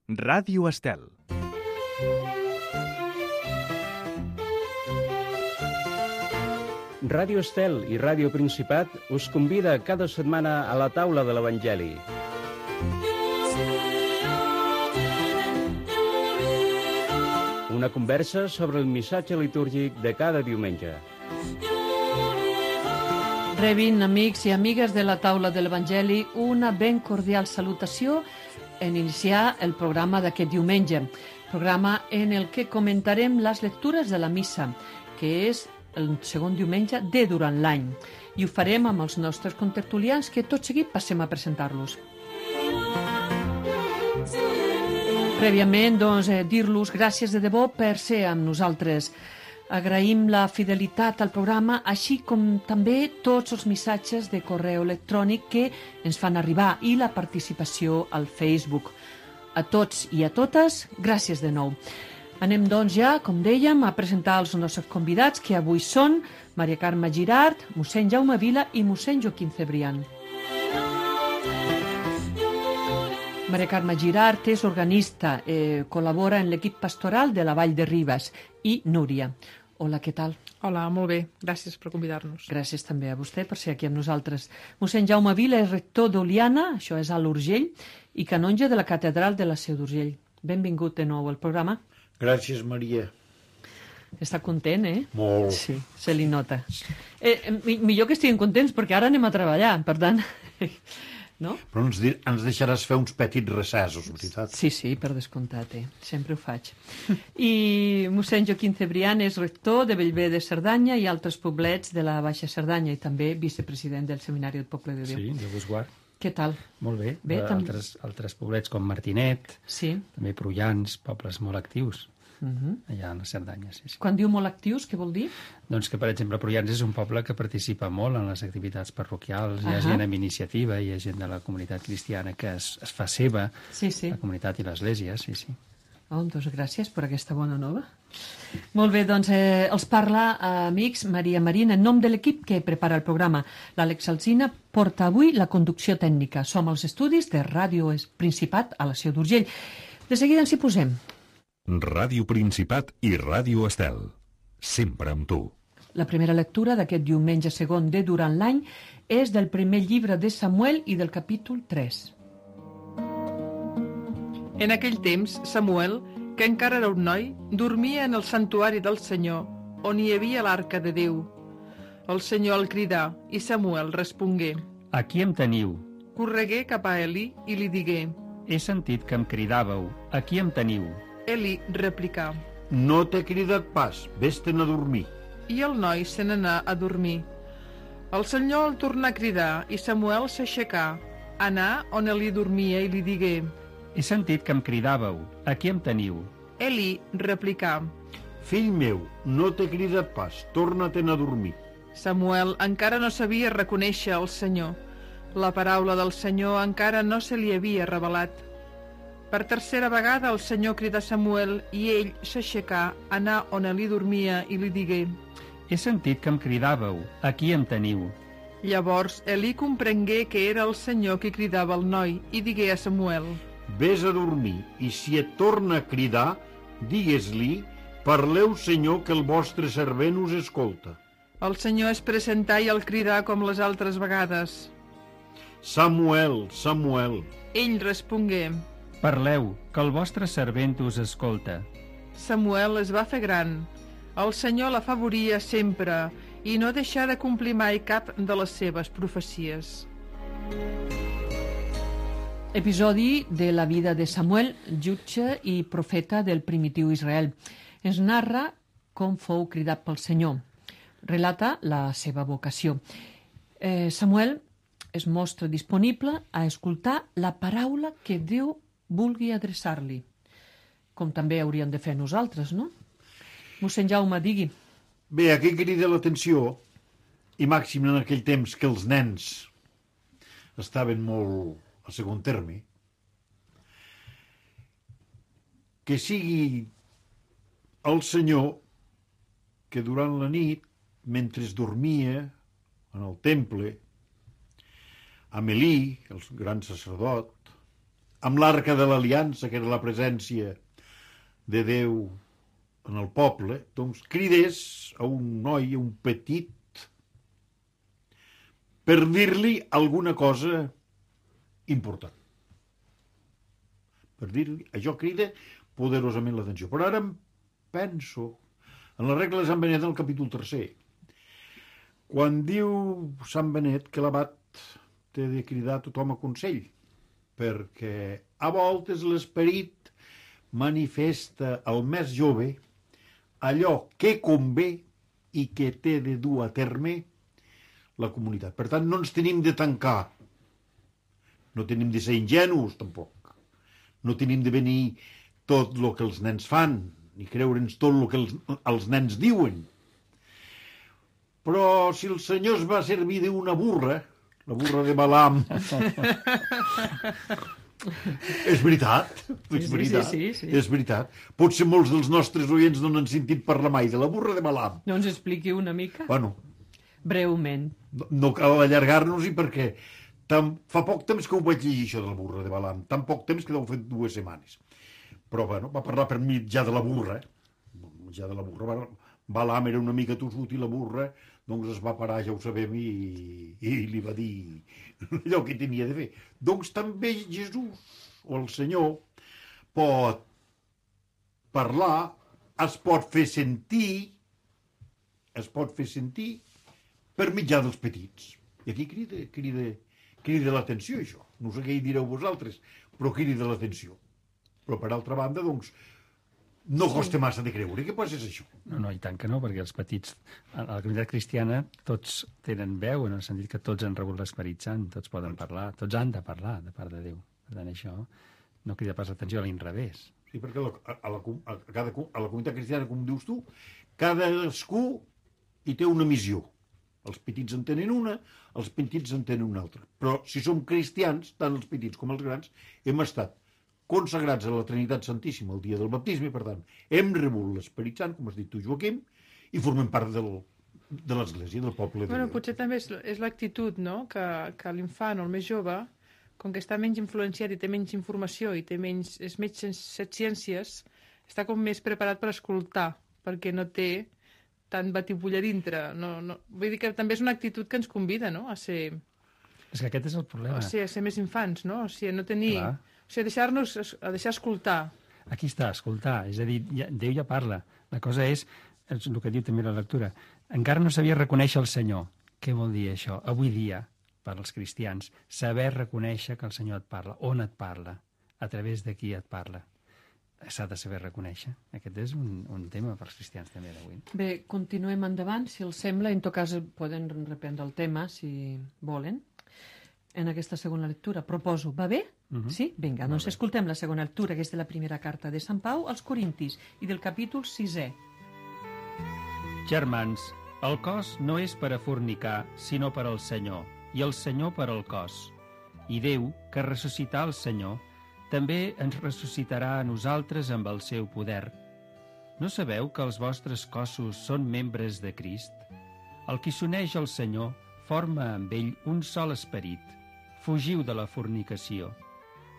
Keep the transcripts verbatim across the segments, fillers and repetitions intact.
Ràdio Estel. Ràdio Estel i Ràdio Principat us convida cada setmana a la taula de l'Evangeli. Una conversa sobre el missatge litúrgic de cada diumenge. Rebin, amics i amigues de la taula de l'Evangeli, una ben cordial salutació en iniciar el programa d'aquest diumenge, programa en el que comentarem les lectures de la missa, que és el segon diumenge de durant l'any, i ho farem amb els nostres contertulians, que tot seguit passem a presentar-los. Prèviament, doncs, eh, dir-los gràcies de debò per ser amb nosaltres. Agraïm la fidelitat al programa, així com també tots els missatges de correu electrònic que ens fan arribar i la participació al Facebook. A tots i a totes, gràcies de nou. Anem, doncs, ja, com dèiem, a presentar els nostres convidats, que avui són Maria Carme Girart, mossèn Jaume Vila i mossèn Joaquim Cebrián. Maria Carme Girart és organista, eh, col·labora en l'equip pastoral de la Vall de Ribes. I Núria. Hola, què tal? Hola, molt bé. Gràcies per convidar-nos. Gràcies també a vostè per ser aquí amb nosaltres. Mossèn Jaume Vila és rector d'Oliana, això és a l'Urgell, i canonge de la catedral de la Seu d'Urgell. Benvingut de nou al programa. Gràcies, Maria. Està content, eh? Molt. Sí, se li nota. Eh, millor que estiguin contents, perquè ara anem a treballar, per tant... No? Però ens, di- ens deixaràs fer uns petits recessos, veritat? Sí, sí, per descomptat, eh? Sempre ho faig. I mossèn Joaquim Cebrián és rector de Bellver de Cerdanya i altres poblets de la Baixa Cerdanya i també vicepresident del Seminari del Poble de Déu. Sí, Déu vos guard. Què tal? Molt bé. Bé, Eh, tam- altres, altres poblets com Martinet, Sí. també Prullans, pobles molt actius, Uh-huh. allà a la Cerdanya, sí, sí. Quan diu molt actius, què vol dir? Doncs que, per exemple, Prullans és un poble que participa molt en les activitats parroquials, hi ha Ahà. gent amb iniciativa, hi ha gent de la comunitat cristiana que es, es fa seva, Sí, sí. la comunitat i l'Església, sí, sí. Oh, doncs gràcies per aquesta bona nova. Molt bé, doncs eh, els parla, eh, amics, Maria Marina, en nom de l'equip que prepara el programa. L'Àlex Alsina porta avui la conducció tècnica. Som als estudis de Ràdio Principat a la Seu d'Urgell. De seguida ens hi posem. Ràdio Principat i Ràdio Estel. Sempre amb tu. La primera lectura d'aquest diumenge segon de durant l'any és del primer llibre de Samuel i del capítol tres. En aquell temps, Samuel, que encara era un noi, dormia en el santuari del Senyor, on hi havia l'arca de Déu. El Senyor el cridà i Samuel respongué. Aquí em teniu. Corregué cap a Eli i li digué. He sentit que em cridàveu. Aquí em teniu. Eli replicà. No t'he cridat pas, vés-te'n a dormir. I el noi se n'anà a dormir. El Senyor el tornà a cridar i Samuel s'aixecà, anà on Eli dormia i li digué. He sentit que em cridàveu. Aquí em teniu. Eli replicà. Fill meu, no t'he cridat pas, torna-te'n a dormir. Samuel encara no sabia reconèixer el Senyor. La paraula del Senyor encara no se li havia revelat. Per tercera vegada el Senyor cridà Samuel i ell s'aixecà, anà on Eli dormia i li digué. He sentit que em cridàveu. Aquí em teniu. Llavors Eli comprengué que era el Senyor qui cridava el noi i digué a Samuel. Vés a dormir, i si et torna a cridar, digues-li, parleu, Senyor, que el vostre servent us escolta. El Senyor es presentà i el cridà com les altres vegades. Samuel, Samuel. Ell respongué. Parleu, que el vostre servent us escolta. Samuel es va fer gran. El Senyor l'afavoria sempre i no deixà de complir mai cap de les seves profecies. Episodi de la vida de Samuel, jutge i profeta del primitiu Israel. Ens narra com fou cridat pel Senyor. Relata la seva vocació. Eh, Samuel es mostra disponible a escoltar la paraula que Déu vulgui adreçar-li, com també hauríem de fer nosaltres, no? Mossèn Jaume, digui. Bé, aquí crida l'atenció, i màxim en aquell temps que els nens estaven molt a segon terme, que sigui el Senyor que durant la nit, mentre dormia en el temple, amb Elí, el gran sacerdot, amb l'arca de l'aliança, que era la presència de Déu en el poble, doncs cridés a un noi, a un petit, per dir-li alguna cosa important. Per dir-li, això crida poderosament l'atenció. Però ara em penso en la regla de Sant Benet, el capítol tercer, quan diu Sant Benet que l'abat té de cridar tothom a consell, perquè a voltes l'esperit manifesta al més jove allò que convé i que té de dur a terme la comunitat. Per tant, no ens tenim de tancar, no tenim de ser ingenus, tampoc. No tenim de venir tot el que els nens fan, ni creure'ns tot el que els, els nens diuen. Però si el Senyor es va servir d'una burra, la burra de Balaam... és veritat, és veritat, sí, sí, sí, sí. és veritat. Potser molts dels nostres oients no n'han sentit parlar mai de la burra de Balaam. No ens expliqui una mica? Bueno, breument. No, no cal allargar-nos-hi perquè tan, fa poc temps que ho vaig llegir, això de la burra de Balaam. Tan poc temps que deu fer dues setmanes. Però, bueno, va parlar per mitjà de la burra. Mitjà de la burra. Balaam era una mica tossut i la burra, doncs es va parar, ja ho sabem, i, i li va dir allò que tenia de fer. Doncs també Jesús, o el Senyor, pot parlar, es pot fer sentir, es pot fer sentir per mitjà dels petits. I aquí crida, crida, crida l'atenció, això. No sé què hi direu vosaltres, però crida l'atenció. Però, per altra banda, doncs, no costa massa de creure. Què passa és això? No, no, i tant que no, perquè els petits, a la comunitat cristiana, tots tenen veu, en el sentit que tots han rebut l'Esperit Sant, tots poden parlar, tots han de parlar de part de Déu. Per tant, això no crida pas l'atenció, a l'inrevés. Sí, perquè a la, a, la, a, cada, a la comunitat cristiana, com dius tu, cadascú hi té una missió. Els petits en tenen una, els petits en tenen una altra. Però si som cristians, tant els petits com els grans, hem estat consagrats a la Trinitat Santíssima el dia del baptisme, per tant, hem rebut l'Esperit Sant, com has dit tu, Joaquim, i formem part del, de l'Església, del poble de Bueno, Déu. potser també és, és l'actitud, no?, que, que l'infant o el més jove, com que està menys influenciat i té menys informació i té menys, és més set ciències, està com més preparat per escoltar, perquè no té tant batibull a dintre. No, no, vull dir que també és una actitud que ens convida, no?, a ser... És que aquest és el problema. O sigui, a ser més infants, no? O sigui, a no tenir... Clar. O sigui, a deixar-nos, a deixar escoltar. Aquí està, escoltar. És a dir, ja, Déu ja parla. La cosa és, és el que diu també la lectura, encara no sabia reconèixer el Senyor. Què vol dir això? Avui dia, per als cristians, saber reconèixer que el Senyor et parla. On et parla? A través de qui et parla? S'ha de saber reconèixer. Aquest és un, un tema per als cristians també d'avui. Bé, continuem endavant, si els sembla. En tot cas, poden reprendre el tema, si volen, en aquesta segona lectura. Proposo, va bé? Uh-huh. Sí? Vinga, doncs escoltem la segona lectura, que és de la primera carta de Sant Pau als Corintis i del capítol sisè. Germans, el cos no és per a fornicar, sinó per al Senyor, i el Senyor per al cos. I Déu, que ressuscità el Senyor, també ens ressuscitarà a nosaltres amb el seu poder. No sabeu que els vostres cossos són membres de Crist? El qui s'uneix al Senyor forma amb ell un sol esperit. Fugiu de la fornicació.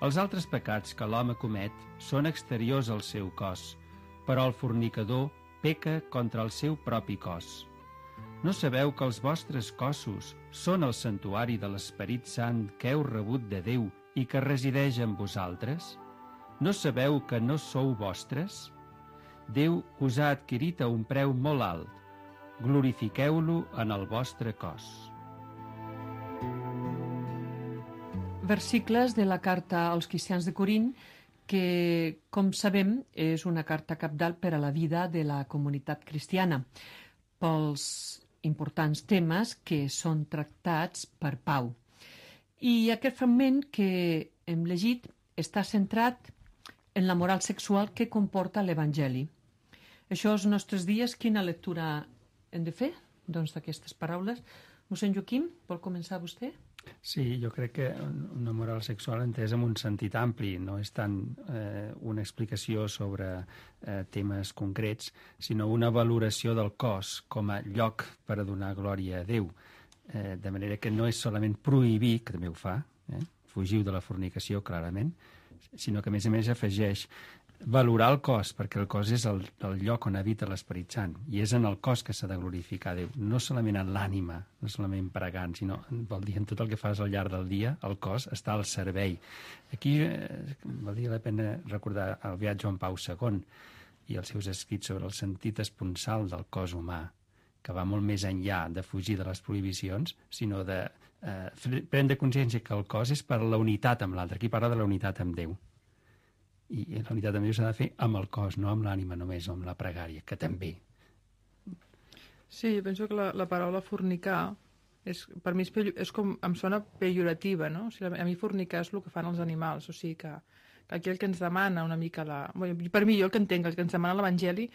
Els altres pecats que l'home comet són exteriors al seu cos, però el fornicador peca contra el seu propi cos. No sabeu que els vostres cossos són el santuari de l'Esperit Sant que heu rebut de Déu i que resideix en vosaltres? No sabeu que no sou vostres? Déu us ha adquirit a un preu molt alt. Glorifiqueu-lo en el vostre cos. Versicles de la carta als cristians de Corint, que, com sabem, és una carta cabdal per a la vida de la comunitat cristiana, pels importants temes que són tractats per Pau. I aquest fragment que hem llegit està centrat en la moral sexual que comporta l'Evangeli. Això als nostres dies, quina lectura hem de fer? Doncs d'aquestes paraules. Mossèn Joaquim, vol començar vostè? Sí, jo crec que una moral sexual entesa en un sentit ampli, no és tant eh, una explicació sobre eh, temes concrets, sinó una valoració del cos com a lloc per a donar glòria a Déu. Eh, de manera que no és solament prohibir, que també ho fa, eh, fugiu de la fornicació, clarament, sinó que a més a més afegeix valorar el cos, perquè el cos és el, el lloc on habita l'Esperit Sant, i és en el cos que s'ha de glorificar Déu, no solament en l'ànima, no solament pregant, sinó vol dir en tot el que fas al llarg del dia, el cos està al servei. Aquí eh, valdria la pena recordar el beat Joan Pau segon i els seus escrits sobre el sentit esponsal del cos humà, que va molt més enllà de fugir de les prohibicions, sinó de eh, prendre consciència que el cos és per la unitat amb l'altre. Aquí parla de la unitat amb Déu. I la unitat amb Déu s'ha de fer amb el cos, no amb l'ànima només, o amb la pregària, que també. Sí, jo penso que la, la paraula fornicar és, per mi és, és com, em sona pejorativa, no? O sigui, a mi fornicar és el que fan els animals, o sigui que, que aquí el que ens demana una mica la... Bueno, per mi, jo el que entenc, el que ens demana l'Evangeli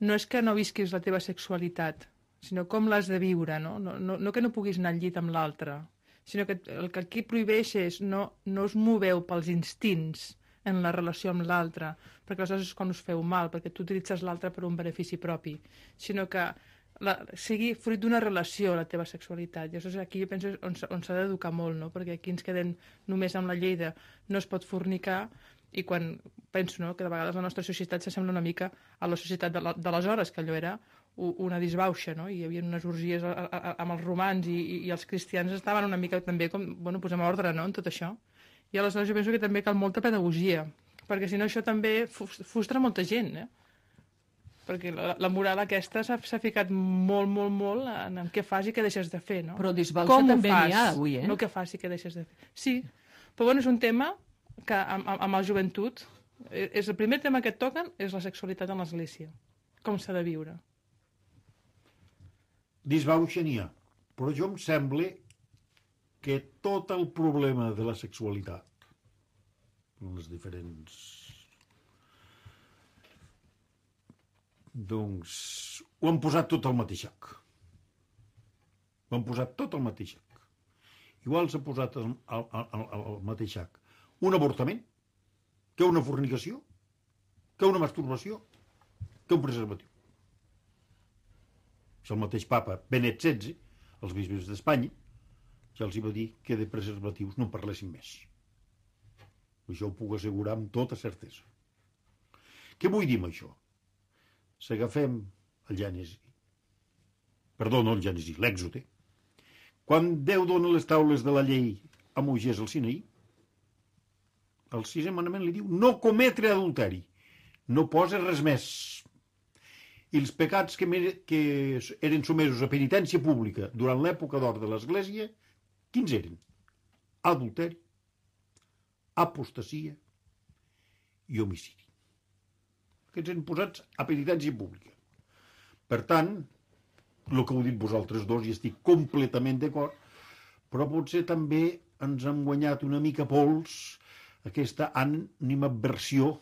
no és que no visquis la teva sexualitat, sinó com l'has de viure, no? No, no? no que no puguis anar al llit amb l'altre, sinó que el que aquí prohibeix és no, no us moveu pels instints en la relació amb l'altre, perquè aleshores és quan us feu mal, perquè tu utilitzes l'altre per un benefici propi, sinó que la, sigui fruit d'una relació la teva sexualitat. I aleshores aquí jo penso on, on s'ha d'educar molt, no? Perquè aquí ens quedem només amb la llei de no es pot fornicar, i quan penso, no?, que de vegades la nostra societat s'assembla una mica a la societat d'aleshores, que allò era una disbauxa, no? I hi havia unes orgies a, a, a, amb els romans i, i, i els cristians estaven una mica també com, bueno, posem ordre, no?, en tot això. I aleshores jo penso que també cal molta pedagogia, perquè si no això també frustra molta gent, eh? Perquè la, la moral aquesta s'ha ficat molt, molt, molt en, en què fas i què deixes de fer, no? Però disbauxa també n'hi ha avui, eh? No què fas i què deixes de fer. Sí, però bueno, és un tema que amb, amb la joventut, és el primer tema que et toquen és la sexualitat en l'Església, com s'ha de viure. Disbauxa n'hi ha, però jo em sembla que tot el problema de la sexualitat, les diferents... doncs ho han posat tot al mateix sac. Ho han posat tot al mateix sac. Igual s'ha posat al, al, al, al mateix sac un avortament, que una fornicació, que una masturbació, que un preservatiu. És el mateix papa Benet setze, els bisbes d'Espanya, ja els hi va dir que de preservatius no en parlessin més. Això ho puc assegurar amb tota certesa. Què vull dir amb això? Si agafem el Gènesi, perdó, no el Gènesi, l'Èxode, quan Déu dona les taules de la llei a Moisès al Sinaí, el sisè manament li diu no cometre adulteri, no posa res més. I els pecats que, que eren somesos a penitència pública durant l'època d'or de l'Església, quins eren? Adulteri, apostasia i homicidi. Aquests eren posats a penitència pública. Per tant, el que heu dit vosaltres dos, i estic completament d'acord, però potser també ens han guanyat una mica pols aquesta animadversió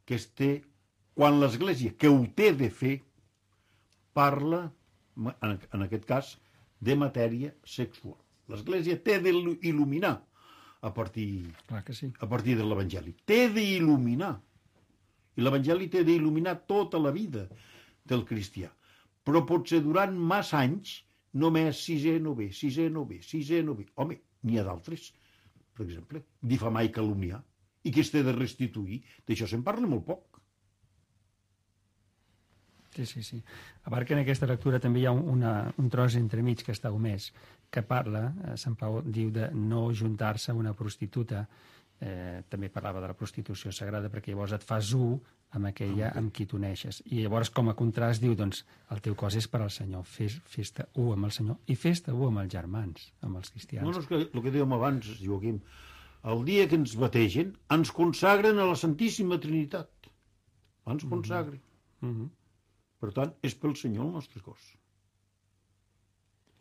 que es té quan l'Església, que ho té de fer, parla, en aquest cas, de matèria sexual. L'Església té d'il·luminar a partir, Clar que sí. a partir de l'Evangeli. Té d'il·luminar. I l'Evangeli té d'il·luminar tota la vida del cristià. Però potser durant massa anys només sisè novè, sisè novè, sisè novè. Home, n'hi ha d'altres. Per exemple, difamar i calumniar. I que es té de restituir. D'això se'n parla molt poc. Sí, sí, sí. A part que en aquesta lectura també hi ha una, un tros entremig que està omès, que parla, eh, Sant Pau diu de no juntar-se amb una prostituta, eh, també parlava de la prostitució sagrada, perquè llavors et fas u amb aquella amb qui t'uneixes. I llavors, com a contrast, diu, doncs, el teu cos és per al Senyor, fes, fes-te u amb el Senyor, i fes-te u amb els germans, amb els cristians. No, no, és que el que dèiem abans, Joaquim, el dia que ens bategen, ens consagren a la Santíssima Trinitat. Ens consagren. Mm-hmm. Per tant, és pel Senyor el nostre cos.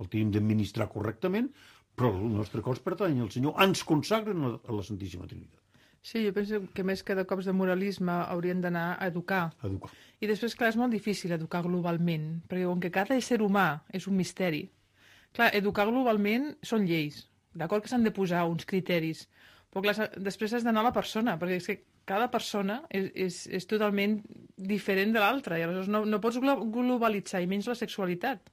El tenim d'administrar correctament, però el nostre cos pertany al Senyor. Ens consagren a la Santíssima Trinitat. Sí, jo penso que més que de cops de moralisme haurien d'anar a educar. Educar. I després, clar, és molt difícil educar globalment, perquè com que cada ésser humà és un misteri, clar, educar globalment són lleis, d'acord que s'han de posar uns criteris, però clar, després has d'anar a la persona, perquè és que cada persona és, és, és totalment diferent de l'altra, i aleshores no, no pots globalitzar, i menys la sexualitat.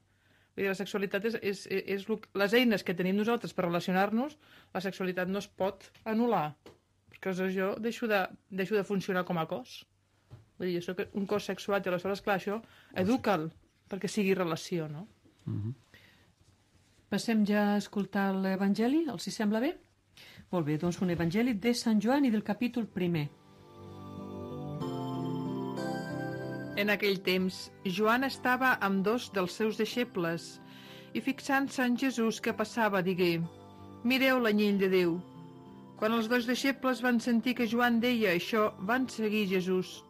Vull dir, la sexualitat és, és, és, és les eines que tenim nosaltres per relacionar-nos, la sexualitat no es pot anul·lar. perquè aleshores jo deixo de, deixo de funcionar com a cos. Vull dir, jo soc un cos sexuat i aleshores, clar, això educa'l perquè sigui relació, no? Mhm. Passem ja a escoltar l'Evangeli, els hi sembla bé? Molt bé, doncs un Evangeli de Sant Joan i del capítol primer. En aquell temps, Joan estava amb dos dels seus deixebles i fixant-se en Jesús que passava, digué: «Mireu l'anyell de Déu». Quan els dos deixebles van sentir que Joan deia això, van seguir Jesús.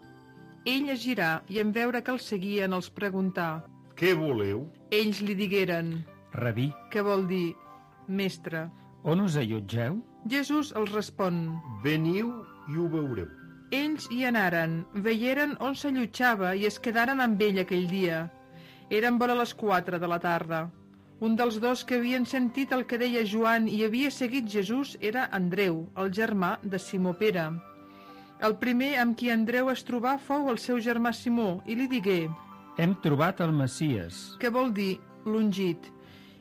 Ell es girà i en veure que el seguien els preguntà. Què voleu? Ells li digueren, Rabí, què vol dir, mestre? on us allotgeu? Jesús els respon. Veniu i ho veureu. Ells hi anaren, veieren on s'allotjava i es quedaren amb ell aquell dia. Eren vora les quatre de la tarda. Un dels dos que havien sentit el que deia Joan i havia seguit Jesús era Andreu, el germà de Simó Pere. El primer amb qui Andreu es trobà fou el seu germà Simó i li digué, Hem trobat el Messies. que vol dir l'ungit,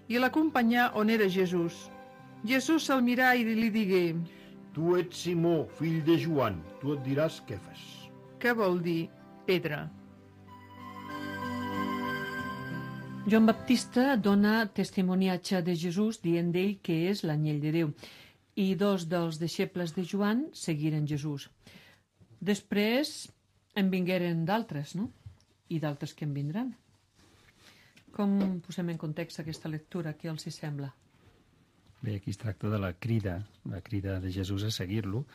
i l'acompanyà on era Jesús. Jesús se'l mirà i li digué, Tu ets Simó, fill de Joan, tu et diràs Kefas. que vol dir pedra. Joan Baptista dona testimoniatge de Jesús dient d'ell que és l'anyell de Déu i dos dels deixebles de Joan seguiren Jesús. Després en vingueren d'altres, no? I d'altres que en vindran. Com posem en context aquesta lectura? Què els hi sembla? Bé, aquí es tracta de la crida, la crida de Jesús a seguir-lo,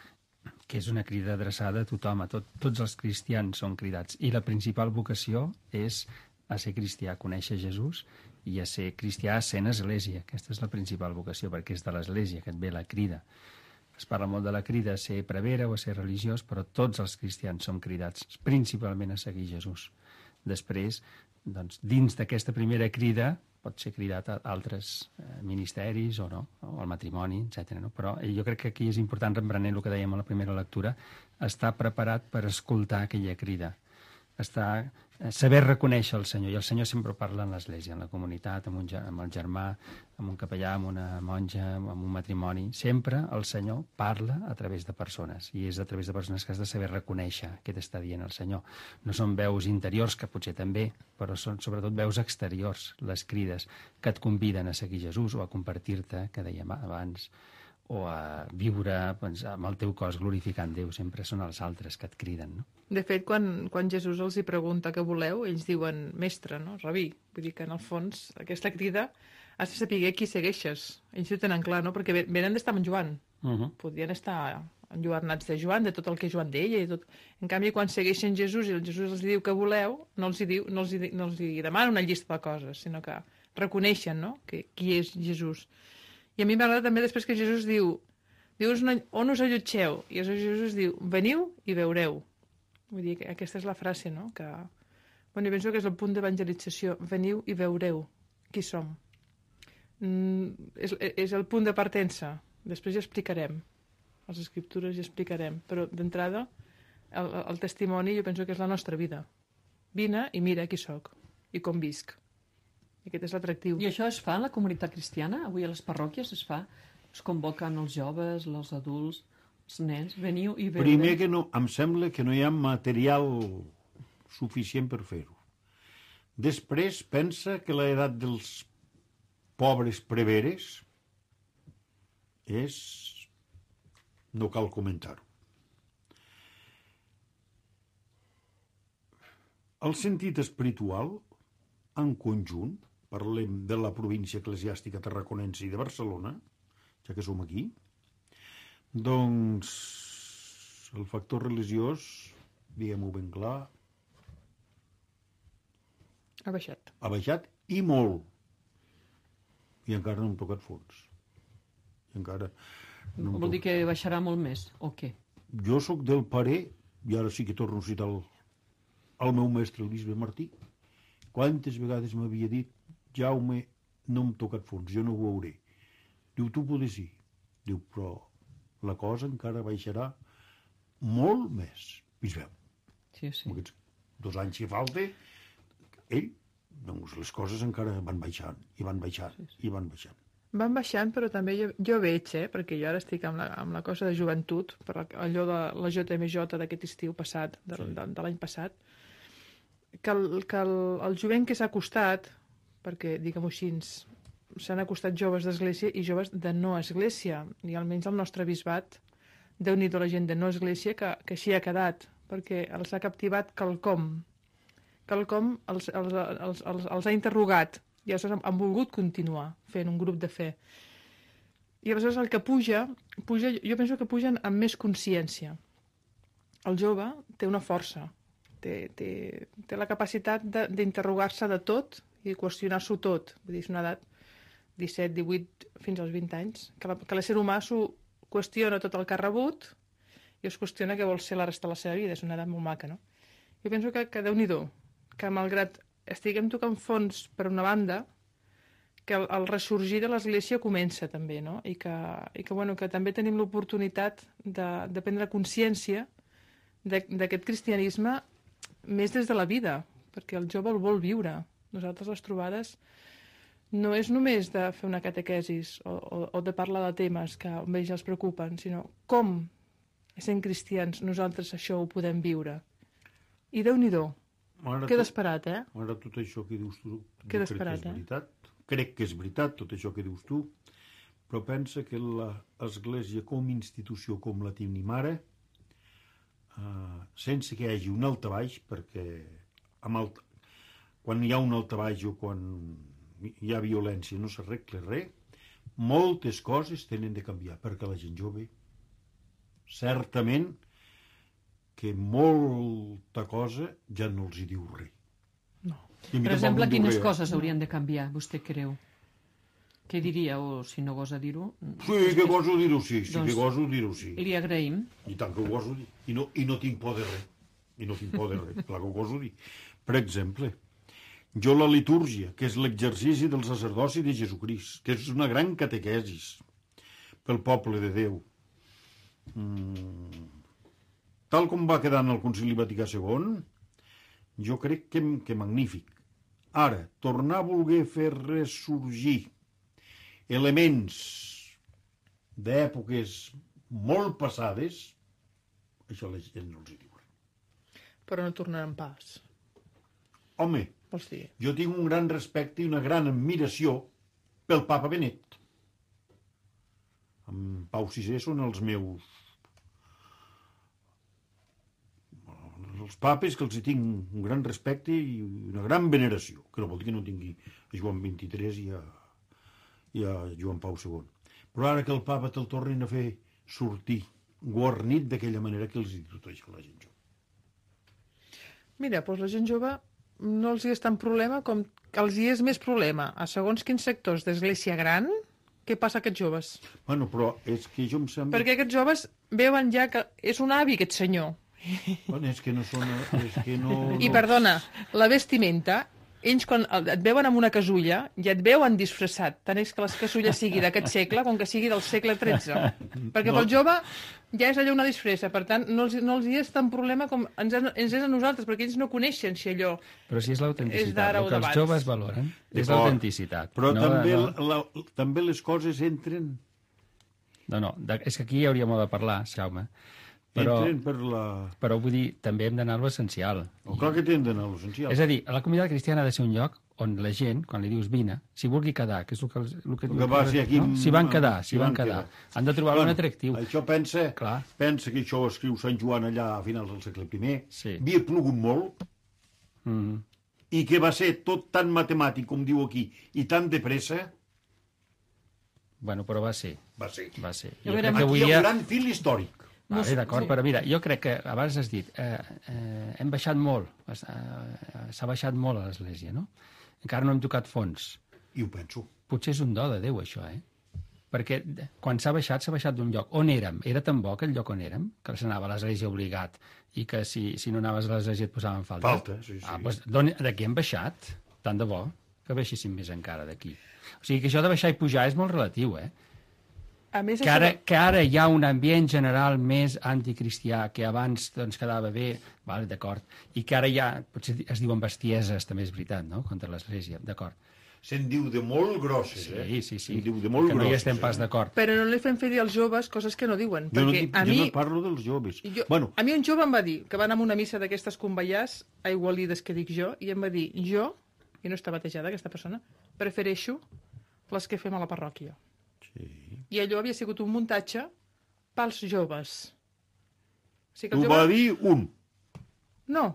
que és una crida adreçada a tothom, a tot, tots els cristians són cridats. I la principal vocació és a ser cristià, a conèixer Jesús i a ser cristià sent església. Aquesta és la principal vocació, perquè és de l'església que et ve la crida. Es parla molt de la crida a ser prevere o a ser religiós, però tots els cristians som cridats principalment a seguir Jesús. Després, doncs, dins d'aquesta primera crida, pot ser cridat a altres eh, ministeris o no, o al matrimoni, etcètera. No? Però jo crec que aquí és important, reprenent el que dèiem a la primera lectura, estar preparat per escoltar aquella crida, estar, eh, saber reconèixer el Senyor, i el Senyor sempre parla en l'església, en la comunitat, amb, un, amb el germà, amb un capellà, amb una monja, amb un matrimoni. Sempre el Senyor parla a través de persones, i és a través de persones que has de saber reconèixer què t'està dient el Senyor. No són veus interiors, que potser també, però són sobretot veus exteriors, les crides, que et conviden a seguir Jesús o a compartir-te, que dèiem abans, o a viure doncs, amb el teu cos glorificant Déu. Sempre són els altres que et criden, no? De fet, quan, quan Jesús els hi pregunta què voleu, ells diuen mestre, no? Rabí. Vull dir que, en el fons, aquesta crida has de saber qui segueixes. Ells ho tenen clar, no? Perquè venen d'estar amb Joan. Uh -huh. Podien estar enlluernats de Joan, de tot el que Joan deia i tot. En canvi, quan segueixen Jesús i el Jesús els diu què voleu, no els hi, diu, no els hi, no els hi demana una llista de coses, sinó que reconeixen, no?, que, qui és Jesús. I a mi m'agrada també després que Jesús diu, dius on us allotgeu? I aleshores Jesús diu, veniu i veureu. Vull dir que aquesta és la frase, no?, que... Bueno, jo penso que és el punt d'evangelització. Veniu i veureu qui som. Mm, és, és el punt de partença. Després ja explicarem. Les escriptures ja explicarem. Però d'entrada, el, el testimoni jo penso que és la nostra vida. Vine i mira qui sóc i com visc. I aquest és l'atractiu. I això es fa en la comunitat cristiana? Avui a les parròquies es fa? Es convoquen els joves, els adults, els nens, veniu i veureu. Primer que no, em sembla que no hi ha material suficient per fer-ho. Després pensa que l'edat dels pobres preveres és... no cal comentar-ho. El sentit espiritual, en conjunt, parlem de la província eclesiàstica tarraconense i de Barcelona, ja que som aquí, doncs el factor religiós, diguem-ho ben clar, Ha baixat. ha baixat i molt. I encara no hem tocat fons. I encara no Vol dir que baixarà molt més, o què? Jo sóc del parer, i ara sí que torno a citar el, el meu mestre, el bisbe Martí, quantes vegades m'havia dit, Jaume, no hem tocat fons, jo no ho veuré. Diu, tu podes sí. Diu, però la cosa encara baixarà molt més. I es veu. Sí, sí. Amb aquests dos anys que falta, ell, doncs les coses encara van baixant, i van baixant, sí, sí. i van baixant. Van baixant, però també jo, jo veig, eh, perquè jo ara estic amb la, amb la cosa de joventut, per allò de la J M J d'aquest estiu passat, de, sí. de, de l'any passat, que, el, que el, el jovent que s'ha acostat, perquè, diguem-ho així, s'han acostat joves d'església i joves de no església, i almenys el nostre bisbat, Déu-n'hi-do la gent de no església, que, que així ha quedat, perquè els ha captivat quelcom, quelcom els, els, els, els, els ha interrogat, i aleshores han volgut continuar fent un grup de fe. I aleshores el que puja, puja jo penso que pugen amb més consciència. El jove té una força, té, té, té la capacitat d'interrogar-se de, de tot i qüestionar-s'ho tot. Vull dir, és una edat disset, divuit, fins als vint anys, que, la, que l'ésser humà s'ho qüestiona tot el que ha rebut i es qüestiona què vol ser la resta de la seva vida. És una edat molt maca, no? Jo penso que, que Déu-n'hi-do, que malgrat estiguem tocant fons per una banda, que el, el ressorgir de l'Església comença també, no? I que, i que, bueno, que també tenim l'oportunitat de, de prendre consciència d'aquest cristianisme més des de la vida, perquè el jove el vol viure. Nosaltres les trobades no és només de fer una catequesis o, o, o de parlar de temes que a ells els preocupen, sinó com, sent cristians, nosaltres això ho podem viure. I Déu-n'hi-do. Ara Queda tot, esperat, eh? Ara tot això que dius tu, Queda crec esperat, que és eh? veritat. Crec que és veritat tot això que dius tu, però pensa que l'Església com a institució, com la tenim ara, eh, sense que hi hagi un altabaix, perquè amb el, quan hi ha un altabaix o quan hi ha violència no s'arregla res, moltes coses tenen de canviar, perquè la gent jove, certament, que molta cosa ja no els hi diu res. No. Per exemple, quines res. coses haurien de canviar, vostè creu? Què diria, o si no gosa dir-ho? Sí, que goso dir-ho, sí, sí doncs que goso dir-ho, sí. Li agraïm. I tant que ho goso dir. I no, i no tinc por de res. I no tinc por de res, clar que ho goso dir. Per exemple, jo la litúrgia, que és l'exercici del sacerdoci de Jesucrist, que és una gran catequesis pel poble de Déu, mm, tal com va quedar en el Concili Vaticà segon, jo crec que, que magnífic. Ara, tornar a voler fer ressorgir elements d'èpoques molt passades, això la gent no els hi diu. Però no tornaran pas. Home, vols dir? Jo tinc un gran respecte i una gran admiració pel papa Benet. En Pau sisè són els meus... els papes que els hi tinc un gran respecte i una gran veneració, que no vol dir que no tingui a Joan vint-i-tres i a, i a Joan Pau segon. Però ara que el papa te'l tornin a fer sortir guarnit d'aquella manera, que els hi diu tot això a la gent jove? Mira, doncs la gent jove no els hi és tant problema com que els hi és més problema a segons quins sectors d'església gran. Què passa a aquests joves? Bueno, però és que jo em sembla... Perquè aquests joves veuen ja que és un avi, aquest senyor. Bueno, és que no són... És que no, I no... perdona, la vestimenta, ells quan et veuen amb una casulla ja et veuen disfressat, tant és que la casulla sigui d'aquest segle com que sigui del segle tretze. Perquè no. Pel jove ja és allò una disfressa, per tant no els, no els hi és tan problema com ens, ens és a nosaltres, perquè ells no coneixen si allò però si és el l'autenticitat, el que els joves valoren és l'autenticitat. Però no, també, no. La, també les coses entren... No, no, de, és que aquí hi hauria molt de parlar, Jaume. Però, per la... però vull dir, també hem d'anar a l'essencial. Oh, clar que hem d'anar a l'essencial. És a dir, la comunitat cristiana ha de ser un lloc on la gent, quan li dius vine, si vulgui quedar, que és el que... El que, el que va ser aquí... No? Si van quedar, si, si van, van quedar. quedar. Han de trobar bueno, un atractiu. Això pensa, clar. pensa que això ho escriu Sant Joan allà a finals del segle primer. Sí. Havia plogut molt mm -hmm. i que va ser tot tan matemàtic, com diu aquí, i tan de pressa... Bueno, però va ser. Va ser. Va ser. Jo crec que avui hi ha un gran fil històric. Vale, no, d'acord, sí. Però mira, jo crec que abans has dit eh, eh, hem baixat molt, eh, s'ha baixat molt a l'Església, no? Encara no hem tocat fons. I ho penso. Potser és un do de Déu, això, eh? Perquè quan s'ha baixat, s'ha baixat d'un lloc. On érem? Era tan bo aquell lloc on érem, que s'anava a l'Església obligat i que si, si no anaves a l'Església et posaven falta. Falta, sí, sí. Ah, doncs d'aquí hem baixat, tant de bo, que baixéssim més encara d'aquí. O sigui que això de baixar i pujar és molt relatiu, eh? A més, que, ara, que ara hi ha un ambient general més anticristià, que abans doncs, quedava bé, vale, d'acord, i que ara ja, potser es diuen bestieses, també és veritat, no?, contra l'Església, d'acord. se'n diu de molt grosses, eh? Sí, sí, sí. Se'n diu de molt que no hi grosses, estem pas eh? d'acord. Però no li fem fer dir als joves coses que no diuen. Jo no, perquè dic, a jo mi, no parlo dels joves. jo, Bueno, a mi un jove em va dir que va anar a una missa d'aquestes conveiars aigualides que dic jo, i em va dir, jo, i no està batejada aquesta persona, prefereixo les que fem a la parròquia. sí. I allò havia sigut un muntatge pels joves. O sigui que Ho els va joves... dir un. No,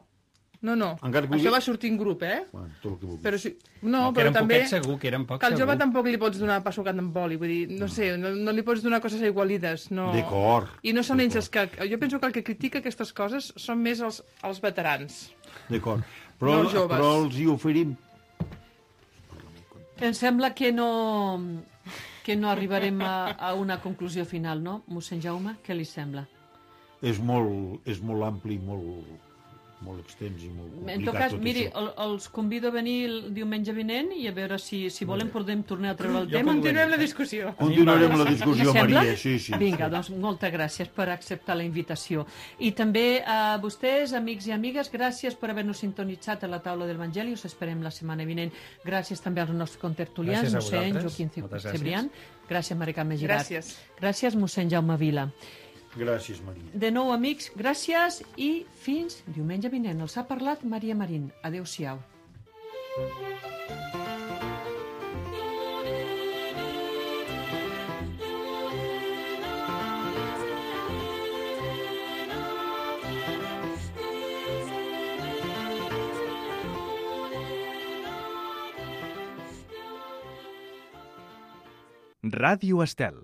no, no. Encara que ho Això digui- va sortir en grup, eh? Bueno, tot el que vulguis. Però, si... no, No, que però eren també... poquets segur, que eren pocs Que al jove segur. tampoc li pots donar pa sucat amb oli, vull dir, no sé, no, no li pots donar coses aigualides, no... D'acord. I no són ells els D'acord. que... Jo penso que el que critica aquestes coses són més els, els veterans. D'acord. Però, No els joves. però els hi oferim... Em sembla que no, que no arribarem a, a una conclusió final, no? Mossèn Jaume, què li sembla? És molt, és molt ampli, molt, molt extens i molt complicat En tot cas, tot miri, això. el, els convido a venir el diumenge vinent i a veure si, si volen podem tornar a treure el tema. Continuem la discussió. Continuarem la discussió, Li sembla? Maria. Sí, sí. Vinga, doncs moltes gràcies per acceptar la invitació. I també a vostès, amics i amigues, gràcies per haver-nos sintonitzat a la taula del Evangeli. Us esperem la setmana vinent. Gràcies també als nostres contertulians, Gràcies a mossèn vosaltres. Joaquim Moltes Cebrián. Gràcies, Mari Carme Girard. Gràcies. Gràcies, mossèn Jaume Vila. Gràcies, Maria. De nou, amics, gràcies i fins diumenge vinent. Els ha parlat Maria Marín. Adéu-siau. Ràdio Estel.